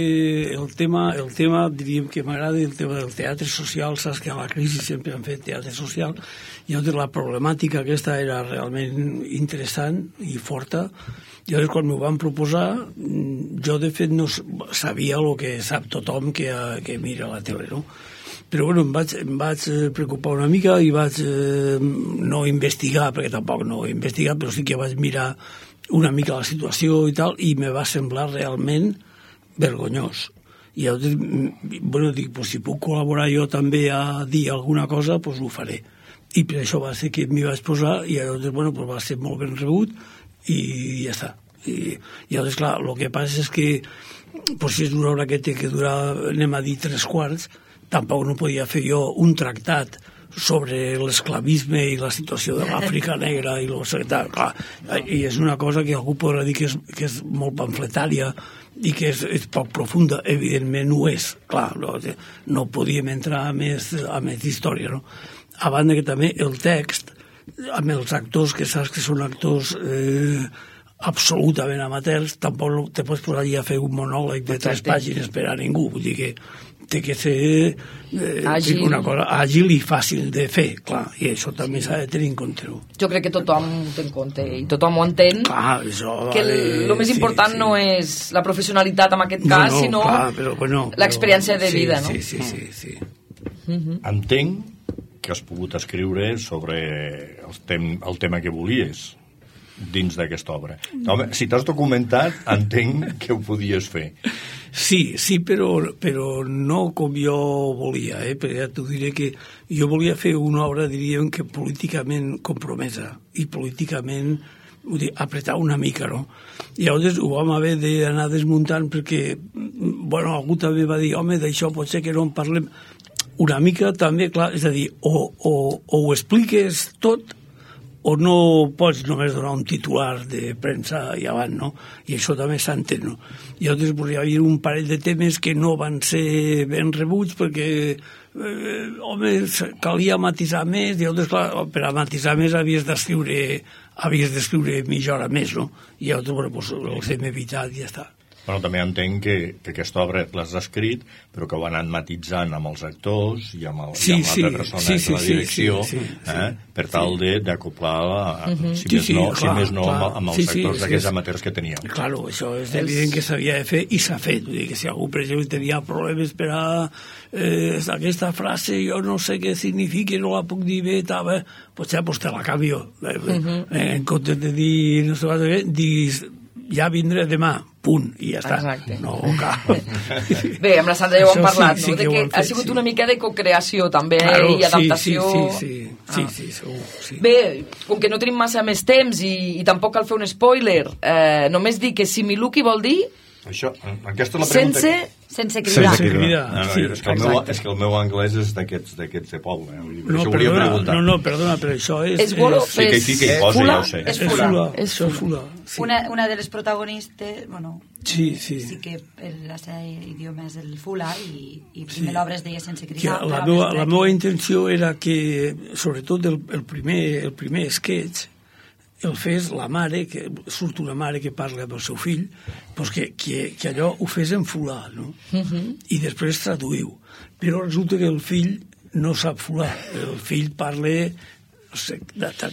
Speaker 9: el tema, el tema diríem que m'agrada el tema del teatre social, saps que a la crisi sempre han fet teatre social, i llavors la problemàtica aquesta era realment interessant i forta, i llavors quan m'ho van proposar jo de fet no sabia el que sap tothom que, que mira la tele, no? Però bueno, em vaig, em vaig preocupar una mica i vaig eh, no investigar, perquè tampoc no he investigat, però sí que vaig mirar una mica la situació i tal, i me va semblar realment vergonyós. I llavors, bueno, dic, pues, si puc col·laborar jo també a dir alguna cosa, doncs ho faré. I per això va ser que m'hi vaig posar, i llavors, bueno, pues va ser molt ben rebut, i ja està. I, i llavors, clar, el que passa és que pues, si és una obra que té que durar, anem a dir, tres quarts, tampoc no podia fer jo un tractat sobre l'esclavisme i la situació de l'Àfrica negra i, lo, clar, i és una cosa que algú podrà dir que és, que és molt pamfletària i que és, és poc profunda. Evidentment ho és, clar, no, no podíem entrar a més, a més història, no? A banda que també el text, amb els actors que saps que són actors eh, absolutament amateurs, tampoc te pots posar allà a fer un monòleg de tres pàgines per a ningú, vull dir que té que ser eh, àgil. Una cosa àgil i fàcil de fer, clar, i això també s'ha de tenir en compte.
Speaker 2: Jo crec que tothom ho té en compte i tothom ho entén,
Speaker 9: ah, això,
Speaker 2: que el, el més important sí, sí. no és la professionalitat en aquest cas, no, no, sinó
Speaker 9: clar, però, bueno,
Speaker 2: l'experiència de
Speaker 9: sí,
Speaker 2: vida, no?
Speaker 9: Sí, sí, sí. sí.
Speaker 5: Uh-huh. Entenc que has pogut escriure sobre el, tem el tema que volies dins d'aquesta obra. Home, si t'has documentat, entenc que ho podies fer.
Speaker 9: Sí, sí, però, però no com jo volia, eh? Perquè ja t'ho diré que jo volia fer una obra, diríem, que políticament compromesa i políticament, vull dir, apretar una mica, no? I llavors ho vam haver d'anar desmuntant perquè, bueno, algú també va dir, home, d'això pot ser que no en parlem una mica també, clar, és a dir, o, o, o ho expliques tot o no pots només donar un titular de premsa i avant, no? I això també s'entén, no? I altres pues, hi havia un parell de temes que no van ser ben rebuts perquè, eh, home, calia matisar més, i altres, clar, per a matisar més havies d'escriure havies d'escriure mitja hora més, no? I altres, bueno, pues, els hem evitat i ja està.
Speaker 5: Bueno, també entenc que, que aquesta obra l'has escrit, però que ho han anat matitzant amb els actors i amb, el,
Speaker 9: sí,
Speaker 5: i amb
Speaker 9: sí,
Speaker 5: l'altre personatge
Speaker 9: sí, sí,
Speaker 5: de la direcció,
Speaker 9: sí, sí, sí,
Speaker 5: eh?
Speaker 9: sí,
Speaker 5: per tal
Speaker 9: sí.
Speaker 5: d'acoplar, uh -huh. si,
Speaker 9: sí,
Speaker 5: més
Speaker 9: sí,
Speaker 5: no,
Speaker 9: clar,
Speaker 5: si més no
Speaker 9: clar.
Speaker 5: amb, amb els
Speaker 9: sí, sí,
Speaker 5: actors
Speaker 9: sí,
Speaker 5: d'aquells
Speaker 9: sí.
Speaker 5: amateurs que teníeu.
Speaker 9: Claro, això és evident que s'havia de fer i s'ha fet. Vull dir que si algú, per exemple, tenia problemes per a eh, aquesta frase, jo no sé què significa, no la puc dir bé, tal, eh, potser pues te la canvio. Eh, uh -huh. eh, en comptes de dir, no sé què, diguis, ja vindré demà, punt, i ja està.
Speaker 2: Exacte.
Speaker 9: No, cal.
Speaker 2: Bé, amb la Sandra ja ho hem parlat,
Speaker 9: sí, sí
Speaker 2: no? De
Speaker 9: que
Speaker 2: que
Speaker 9: fet,
Speaker 2: ha sigut
Speaker 9: sí.
Speaker 2: una mica de cocreació, també,
Speaker 9: claro,
Speaker 2: i adaptació.
Speaker 9: Sí, sí, sí, sí,
Speaker 2: ah.
Speaker 9: sí, sí, segur, sí.
Speaker 2: Bé, com que no tenim massa més temps i, i tampoc cal fer un spoiler, eh, només dir que Similuki vol dir...
Speaker 5: Això, aquesta és la pregunta...
Speaker 2: Sense...
Speaker 5: Que...
Speaker 7: Sense cridar.
Speaker 9: Sense cridar.
Speaker 5: No, no,
Speaker 9: sí,
Speaker 5: és, que el meu, és que el meu anglès és d'aquests de poble. Eh?
Speaker 9: No,
Speaker 5: això
Speaker 9: perdona, no, no, perdona, però això és...
Speaker 2: És bolo,
Speaker 5: Sí, que hi fica i posa,
Speaker 2: fula,
Speaker 5: ja ho sé.
Speaker 2: és
Speaker 9: És
Speaker 2: fula.
Speaker 9: fula,
Speaker 2: És
Speaker 9: això és fula. Sí.
Speaker 7: Una, una de les protagonistes, bueno,
Speaker 9: Sí, sí.
Speaker 7: sí que el, la seva idioma és el fula i, i
Speaker 9: Sí.
Speaker 7: primer l'obra es deia sense
Speaker 9: Que
Speaker 7: cridar.
Speaker 9: la,
Speaker 7: però
Speaker 9: meva,
Speaker 7: després
Speaker 9: la
Speaker 7: que-
Speaker 9: meva intenció era que, sobretot el, el, primer, el primer sketch, el fes la mare, que surt una mare que parla amb el seu fill, doncs que, que, que allò ho fes en fulà, no? Uh -huh. I després traduïu. Però resulta que el fill no sap fulà. El fill parla... No sé,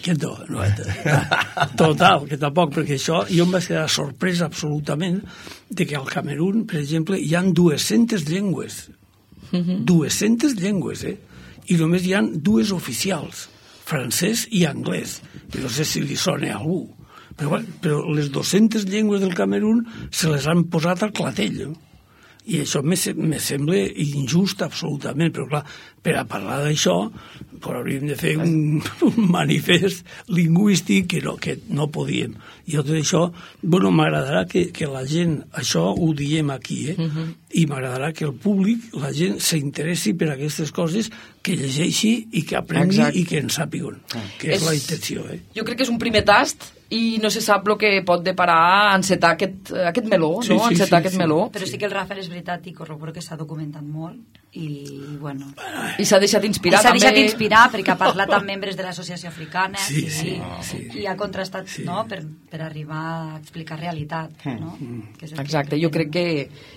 Speaker 9: que no, no, total, que tampoc, perquè això jo em vaig quedar sorprès absolutament de que al Camerún, per exemple, hi han dues-centes llengües. Uh-huh. dues-centes llengües, eh? I només hi han dues oficials, francès i anglès. No sé si li sona a algú. Però, bueno, però les dues-centes llengües del Camerún se les han posat al clatell, no? I això me, me sembla injust absolutament, però clar, per a parlar d'això pues, hauríem de fer un, un manifest lingüístic que no, que no podíem. I tot això, bueno, m'agradarà que, que la gent, això ho diem aquí, eh? Uh-huh. I m'agradarà que el públic, la gent s'interessi per aquestes coses, que llegeixi i que aprengui Exacte. I que en sàpiguen, que és, és la intenció. Eh?
Speaker 2: Jo crec que és un primer tast i no se sap el que pot deparar encetar aquest, aquest meló,
Speaker 9: sí,
Speaker 2: no?
Speaker 9: Sí,
Speaker 2: encetar
Speaker 9: sí,
Speaker 2: aquest
Speaker 9: sí.
Speaker 2: meló.
Speaker 7: Però sí que el Rafael és veritat i corroboro que s'ha documentat molt i, bueno...
Speaker 2: I s'ha deixat inspirar,
Speaker 7: I s'ha
Speaker 2: també.
Speaker 7: deixat inspirar perquè ha parlat amb membres de l'associació africana
Speaker 9: sí,
Speaker 7: i,
Speaker 9: sí,
Speaker 7: i,
Speaker 9: sí.
Speaker 7: i ha contrastat
Speaker 9: sí.
Speaker 7: no? per, per arribar a explicar realitat, no? Que és el
Speaker 2: Exacte,
Speaker 7: que
Speaker 2: jo crec que,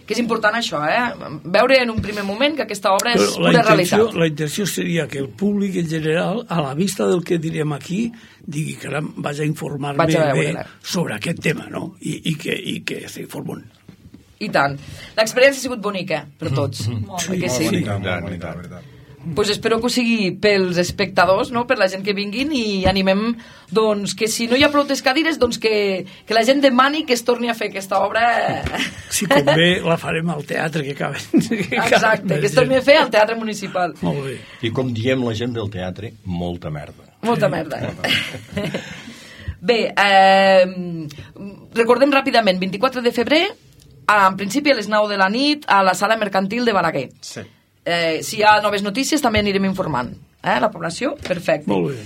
Speaker 2: que és important això, eh? Veure en un primer moment que aquesta obra és
Speaker 9: Però
Speaker 2: pura
Speaker 9: la intenció,
Speaker 2: realitat.
Speaker 9: la intenció seria que el públic en general, a la vista del que direm aquí, digui que vaig a informar-me
Speaker 2: Vaig a
Speaker 9: bé
Speaker 2: veure-la.
Speaker 9: sobre aquest tema, no? I, i que, i que s'informen.
Speaker 2: I tant. L'experiència ha sigut bonica per tots.
Speaker 7: Molt
Speaker 2: Sí, que
Speaker 8: Molt
Speaker 2: sí.
Speaker 8: bonica, molt bonica, la veritat.
Speaker 2: Pues espero que ho sigui pels espectadors, no? Per la gent que vinguin i animem doncs, que si no hi ha prou cadires doncs que, que la gent demani que es torni a fer aquesta obra.
Speaker 9: Si convé, la farem al teatre que acaben. Que
Speaker 2: Exacte, que es torni a fer al Teatre Municipal.
Speaker 9: Molt bé.
Speaker 5: I com diem la gent del teatre, molta merda.
Speaker 2: Molta merda. Eh? Bé, eh, recordem ràpidament, vint-i-quatre de febrer, en principi a les nou de la nit, a la sala mercantil de Balaguer.
Speaker 8: Sí.
Speaker 2: Eh, si hi ha noves notícies també anirem informant. Eh? La població, perfecte.
Speaker 9: Molt bé.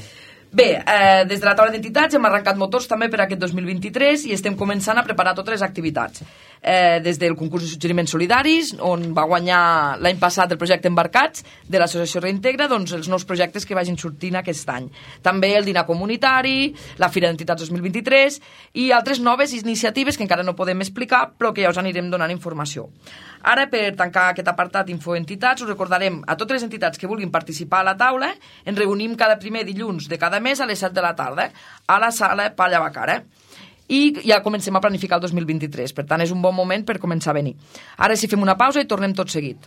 Speaker 2: Bé, eh, des de la taula d'entitats hem arrencat motors també per aquest dos mil vint-i-tres i estem començant a preparar totes les activitats. Eh, des del concurs de suggeriments solidaris, on va guanyar l'any passat el projecte Embarcats de l'associació Reintegra, doncs els nous projectes que vagin sortint aquest any. També el dinar comunitari, la Fira d'Entitats dos mil vint-i-tres i altres noves iniciatives que encara no podem explicar, però que ja us anirem donant informació. Ara, per tancar aquest apartat Infoentitats, us recordarem a totes les entitats que vulguin participar a la taula, ens reunim cada primer dilluns de cada mes a les set de la tarda, a la sala Palla Bacara. I ja comencem a planificar el dos mil vint-i-tres, per tant és un bon moment per començar a venir. Ara sí fem una pausa i tornem tot seguit.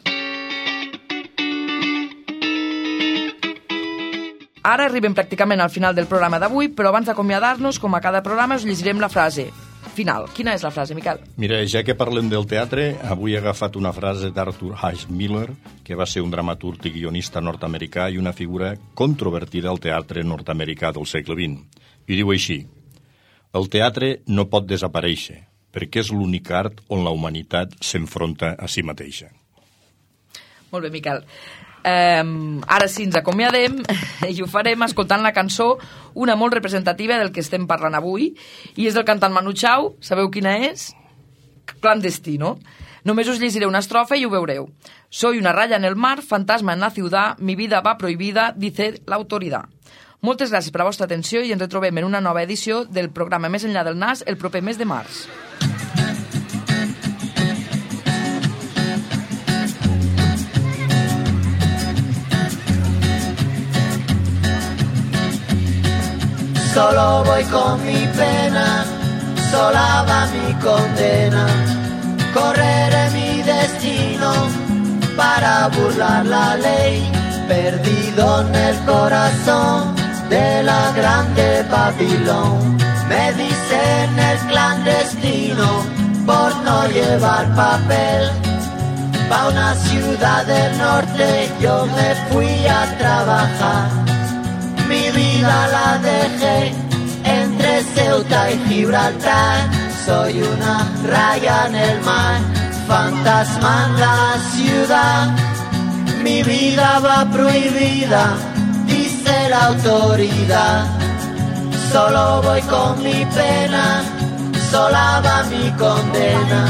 Speaker 2: Ara arribem pràcticament al final del programa d'avui, però abans d'acomiadar-nos, com a cada programa, us llegirem la frase final. Quina és la frase, Miquel?
Speaker 5: Mira, ja que parlem del teatre, avui he agafat una frase d'Arthur H. Miller, que va ser un dramaturg i guionista nord-americà i una figura controvertida al teatre nord-americà del segle vint. I diu així: el teatre no pot desaparèixer, perquè és l'únic art on la humanitat s'enfronta a si mateixa.
Speaker 2: Molt bé, Miquel. Eh, ara sí, ens acomiadem i ho farem escoltant la cançó, una molt representativa del que estem parlant avui, i és del cantant Manu Chao. Sabeu quina és? Clandestino. Només us llegiré una estrofa i ho veureu. Soy una raya en el mar, fantasma en la ciudad, mi vida va prohibida, dice la autoridad. Moltes gràcies per la vostra atenció i ens retrobem en una nova edició del programa Més enllà del nas el proper mes de març.
Speaker 10: Solo voy con mi pena, sola va mi condena. Correré mi destino para burlar la ley, perdido en el corazón de la grande Babilón. Me dicen el clandestino por no llevar papel. Pa' una ciudad del norte yo me fui a trabajar. Mi vida la dejé entre Ceuta y Gibraltar. Soy una raya en el mar, fantasma en la ciudad. Mi vida va prohibida, dice la autoridad. Solo voy con mi pena, sola va mi condena.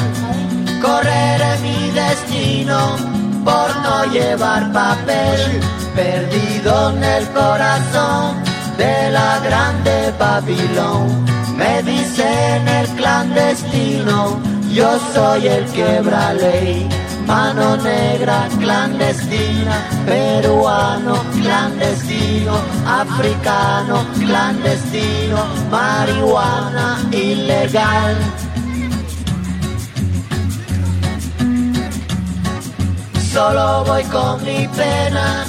Speaker 10: Correré mi destino por no llevar papel, perdido en el corazón de la grande Babilón. Me dicen el clandestino, yo soy el quebra ley. Mano negra clandestina, peruano clandestino, africano clandestino, marihuana ilegal. Solo voy con mi pena,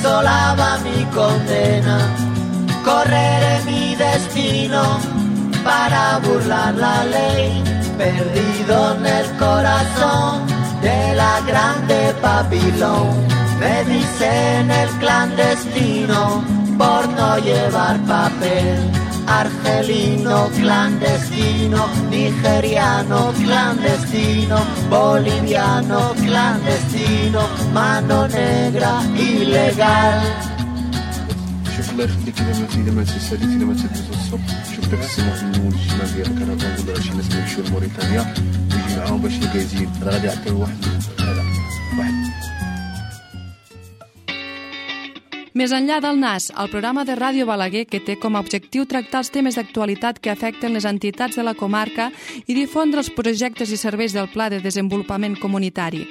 Speaker 10: sola va mi condena. Correré mi destino para burlar la ley, perdido en el corazón de la grande Babilón. Me dicen el clandestino por no llevar papel. Argelino clandestino, nigeriano clandestino, boliviano clandestino, mano negra ilegal.
Speaker 11: شوف الله يخليك اذا ما اذا ما تساليتي اذا ما تدوز الصبح شوف دابا السماح من الشمال ديال الكرفان ولا شي ناس يمشيو لموريتانيا ويجي معاهم باش يقازين راه غادي يعطيو واحد هذا واحد.
Speaker 1: Més enllà del nas, el programa de Ràdio Balaguer que té com a objectiu tractar els temes d'actualitat que afecten les entitats de la comarca i difondre els projectes i serveis del Pla de Desenvolupament Comunitari.